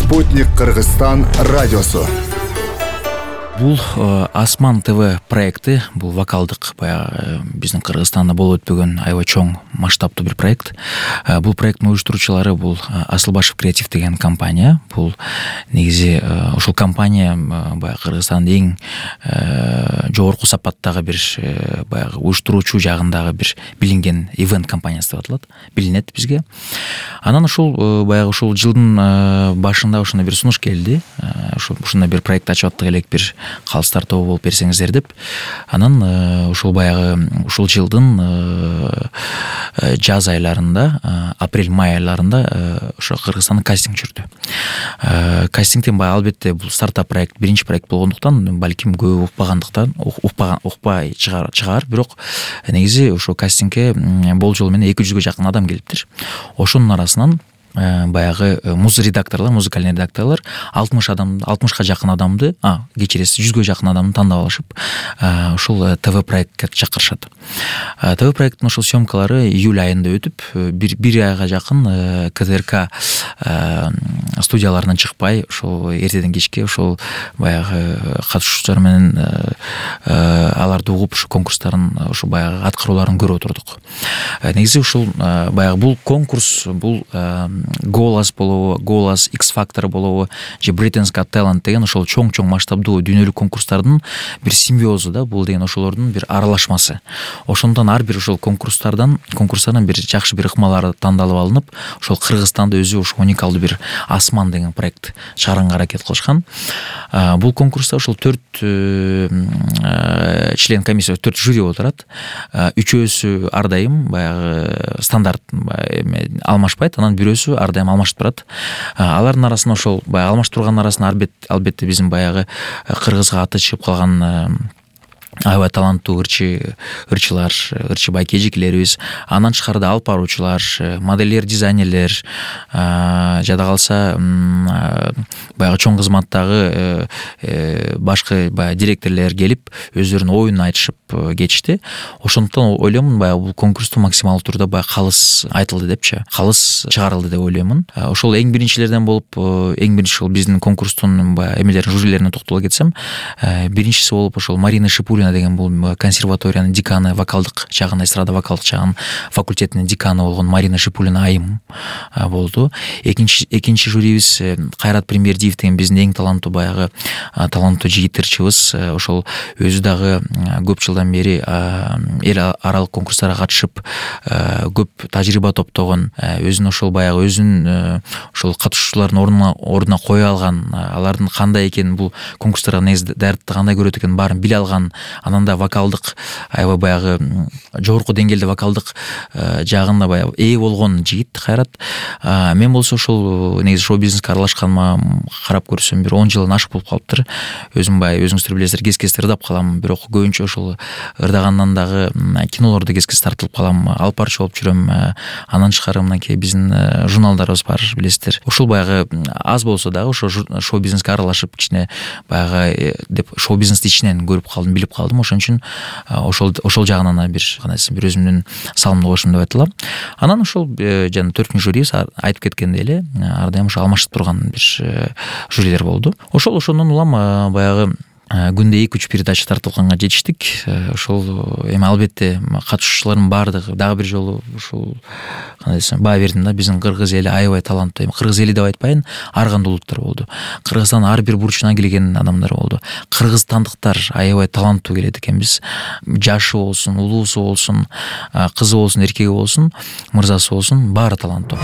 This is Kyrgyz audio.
Спутник Кыргызстан радиосу. Бул Асман ТВ проекти, бул вокалдык баягы биздин Кыргызстанда болуп өтпөгөн аябай чоң масштабтуу бир проект. Бул проекттин уюштуруучулары бул Асылбашев креатив деген компания. Бул негизи ошол компания баягы Кыргызстандын эң жогорку сапаттагы бир баягы уюштуруучу жагындагы бир билинген ивент компаниясы деп аталат, билинет бизге. Анан ушул баягы ушул жылдын башында ошондой бир сунуш келди. Ушундай бир проект ачып аттык элек, бир калыстар тобу болуп берсеңиздер деп. Анан ушул баягы ушул жылдын жаз айларында, апрель-май айларында ошо Кыргызстанда кастинг жүрдү. Кастингден баягы албетте бул стартап проект, биринчи проект болгондуктан балким көп укпай чыгар, бирок негизи ошо кастингге болжол менен 200-гө жакын адам келиптир. Ошонун арасынан баягы музыкальный редакторлор 60-га жакын адамды, кечиресиз 100-гө жакын адамды тандап алышып, ушул ТВ проектке чакырышат. ТВ проекттин ошол съемкалары июль айында өтүп, бир айга жакын КТРК студияларынан чыкпай, ошол эртеден кечке ошол баягы катышуучулар менен аларды угуп, ошо конкурстарын, ошо баягы аткарууларын көрүп отурдук. Негизи ушул баягы бул конкурс, бул Голос болобу, Голос, X-Factor болобу, же Britain's Got Talent деген ошол чоң масштабдуу дүйнөлүк конкурстардын бир симбиозу да, бул деген ошолордун бир аралашмасы. Ошондон ар бир ошол конкурстардан бир жакшы бир ыкмалар тандалып алынып, ошол Кыргызстанда өзү ошо уникалдуу бир Асман деген проект чыгарганга аракет кылышкан. Бул конкурста ошол 4 член комиссия, 4 жюри отурат. Үчөөсү ар дайым баягы стандарт алмашпайт, анан бирөөсү ар дайым алмашып турат. Алардын арасында ошол баягы алмашып турган арасында албетте биздин баягы кыргызга аты чыгып калган аябай таланттуу ырчылар, ырчы байкежикелерибиз, андан тышкарыда алып баруучулар, модельдер, дизайнерлер, жада калса баягы чоң кызматтагы башкы баягы директорлор келип, өздөрүнүн оюн айтышып кетишти. Ошондуктан ойлоймун, баягы бул конкурсту максималдуу турда баягы калыс айтылды депчи, калыс чыгарылды деп ойлоймун. Ошол эң биринчилерден болуп, эң биринчи ошол биздин конкурстун баягы эмелерин, жюрилерине токтоло кетсем, биринчиси болуп ошол Марина Шипулина деген бул консерваториянын деканы, вокалдык жагын, эстрада вокалдык жагын факультетинин деканы болгон Марина Шипулина айым болду. Экинчи жюрибиз Кайрат Прембердиев деген биздин эң таланттуу баягы таланттуу жигит ырчыбыз. Ошол өзү дагы көп жылдан бери эл аралык конкурстарга катышып, көп тажрыйба топтогон, өзүн ошол баягы ошол катышуучулардын ордуна кое алган, алардын кандай экенин, бул конкурстарга негизи даярдыкты кандай көрөт экенин баарын биле алган, анан да вокалдык аябай баягы жогорку деңгээлде вокалдык жагында баягы ээ болгон жигит Кайрат. Мен болсо ошол негизи шоу бизнеске аралашканыма карап көрсөм бир 10 жылдан ашык болуп калыптыр. Өзүм баягы өзүңүздөр билесиздер, кез-кез ырдап калам, бирок көбүнчө ошол ырдагандан дагы кинолордо кез-кез тартылып калам, алып барчу болуп жүрөм. Андан тышкары мынакей биздин журналдарыбыз бар, билесиздер. Ошол баягы аз болсо дагы ошо шоу бизнеске аралашып, кичине баягы деп шоу бизнести ичинен көрүп калдым, билип калдым. Ошон үчүн ошол жагынан бир өзүмдүн салымды кошум деп айтылам. Анан ошол жана 4-жюри айтып кеткендей эле, ар дайым ошо алмашып турган бир жюрилер болду. Ошондон улам баягы күндө 2-3 передача тартылганга жетиштик. Ошол эми албетте катышуучулардын баардыгы дагы бир жолу ушул кандай десем, баа бердим да, биздин кыргыз эли аябай таланттуу. Кыргыз эли деп айтпайын, ар кандай улуттар болду. Кыргызстандын ар бир бурчуна келген адамдар болду. Кыргызстандыктар аябай таланттуу келет экенбиз. Жашы болсун, улуусу болсун, кызы болсун, эркеги болсун, мырзасы болсун, баары таланттуу.